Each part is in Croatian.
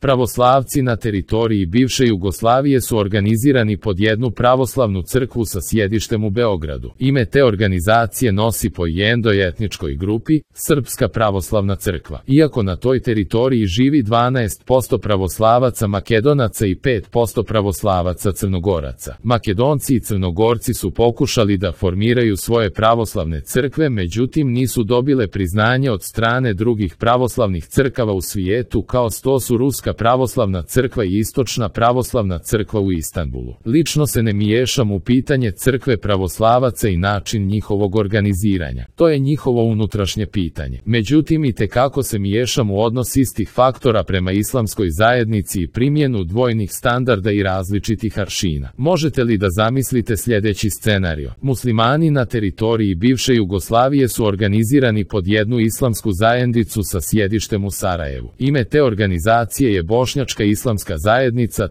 Pravoslavci na teritoriji bivše Jugoslavije su organizirani pod jednu pravoslavnu crkvu sa sjedištem u Beogradu. Ime te organizacije nosi po jednoj etničkoj grupi, Srpska pravoslavna crkva. Iako na toj teritoriji živi 12% pravoslavaca Makedonaca i 5% pravoslavaca Crnogoraca. Makedonci i Crnogorci su pokušali da formiraju svoje pravoslavne crkve, međutim nisu dobile priznanje od strane drugih pravoslavnih crkava u svijetu, kao što su Ruska pravoslavna crkva i Istočna pravoslavna crkva u Istanbulu. Lično se ne miješam u pitanje crkve pravoslavaca i način njihovog organiziranja. To je njihovo unutrašnje pitanje. Međutim, itekako se miješam u odnos istih faktora prema islamskoj zajednici i primjenu dvojnih standarda i različitih aršina. Možete li da zamislite sljedeći scenario? Muslimani na teritoriji bivše Jugoslavije su organizirani pod jednu islamsku zajednicu sa sjedištem u Sarajevu. Ime te organizacije je Bošnjačka islamska zajednica.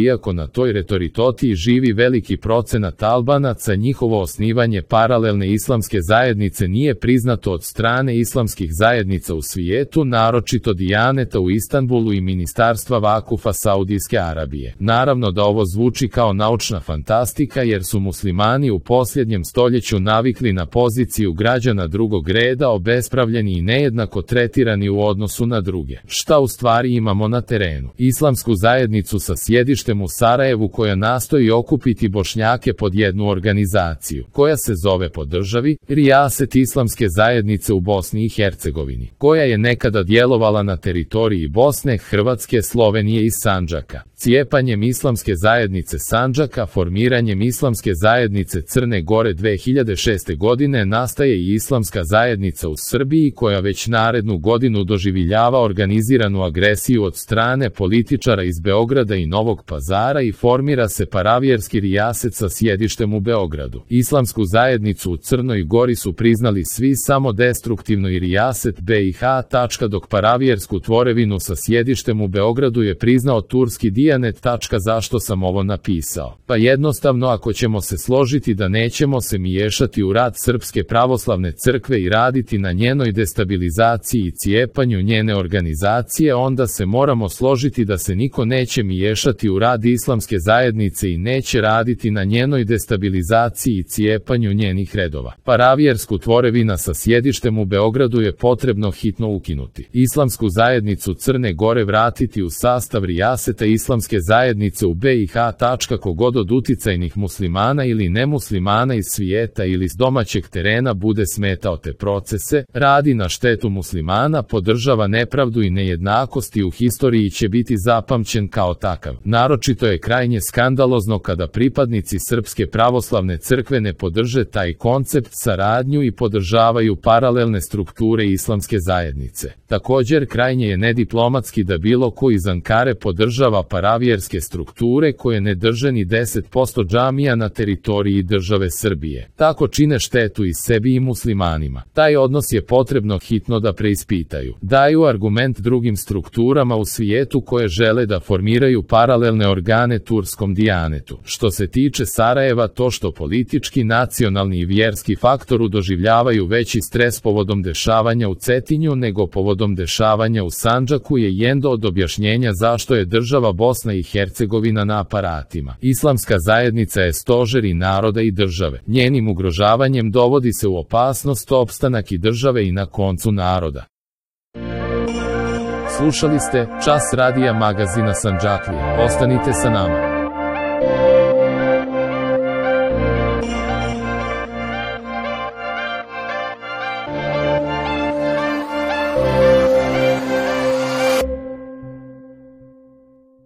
Iako na toj teritoriji živi veliki procenat Albanaca, njihovo osnivanje paralelne islamske zajednice nije priznato od strane islamskih zajednica u svijetu, naročito Dijaneta u Istanbulu i Ministarstva Vakufa Saudijske Arabije. Naravno da ovo zvuči kao naučna fantastika, jer su muslimani u posljednjem stoljeću navikli na poziciju građana drugog reda, obespravljeni i nejednako tretirani u odnosu na druge. Šta u stvari imamo na terenu? Islamsku zajednicu sa sjedištem u Sarajevu koja nastoji okupiti Bošnjake pod jednu organizaciju, koja se zove po državi Rijaset islamske zajednice u Bosni i Hercegovini, koja je nekada djelovala na teritoriji Bosne, Hrvatske, Slovenije i Sandžaka. Cijepanjem islamske zajednice Sandžaka, formiranjem islamske zajednice Crne Gore 2006. godine nastaje i islamska zajednica u Srbiji, koja već narednu godinu doživljava organiziranu agresiju od strane političara iz Beograda i Novog Pazara i formira se paravjerski rijaset sa sjedištem u Beogradu. Islamsku zajednicu u Crnoj Gori su priznali svi samo destruktivno i rijaset BiH, dok paravjersku tvorevinu sa sjedištem u Beogradu je priznao turski Dijanet. Zašto sam ovo napisao? Pa jednostavno, ako ćemo se složiti da nećemo se miješati u rad Srpske pravoslavne crkve i raditi na njenoj destabilizaciji i cijepanju njene organizacije, onda se moramo složiti da se niko neće miješati u rad islamske zajednice i neće raditi na njenoj destabilizaciji i cijepanju njenih redova. Paravjersku tvorevina sa sjedištem u Beogradu je potrebno hitno ukinuti. Islamsku zajednicu Crne Gore vratiti u sastav rijaseta islamske zajednice u BiH. Kogod od uticajnih muslimana ili nemuslimana iz svijeta ili s domaćeg terena bude smetao te procese, radi na štetu muslimana, podržava nepravdu i nejednakosti, u historiji će biti zapamćen kao takav. Naročito je krajnje skandalozno kada pripadnici Srpske pravoslavne crkve ne podrže taj koncept, saradnju i podržavaju paralelne strukture islamske zajednice. Također, krajnje je nediplomatski da bilo ko iz Ankare podržava paravjerske strukture koje ne drže ni 10% džamija na teritoriji države Srbije. Tako čine štetu i sebi i muslimanima. Taj odnos je potrebno hitno da preispitaju. Daju argument drugim strukturama u svijetu koje žele da formiraju paralelne organe turskom Dijanetu. Što se tiče Sarajeva, to što politički, nacionalni i vjerski faktoru doživljavaju veći stres povodom dešavanja u Cetinju nego povodom dešavanja u Sandžaku je jedno od objašnjenja zašto je država Bosna i Hercegovina na aparatima. Islamska zajednica je stožer i naroda i države. Njenim ugrožavanjem dovodi se u opasnost opstanak i države i na koncu naroda. Slušali ste Čas radija magazina Sandžaklija. Ostanite sa nama.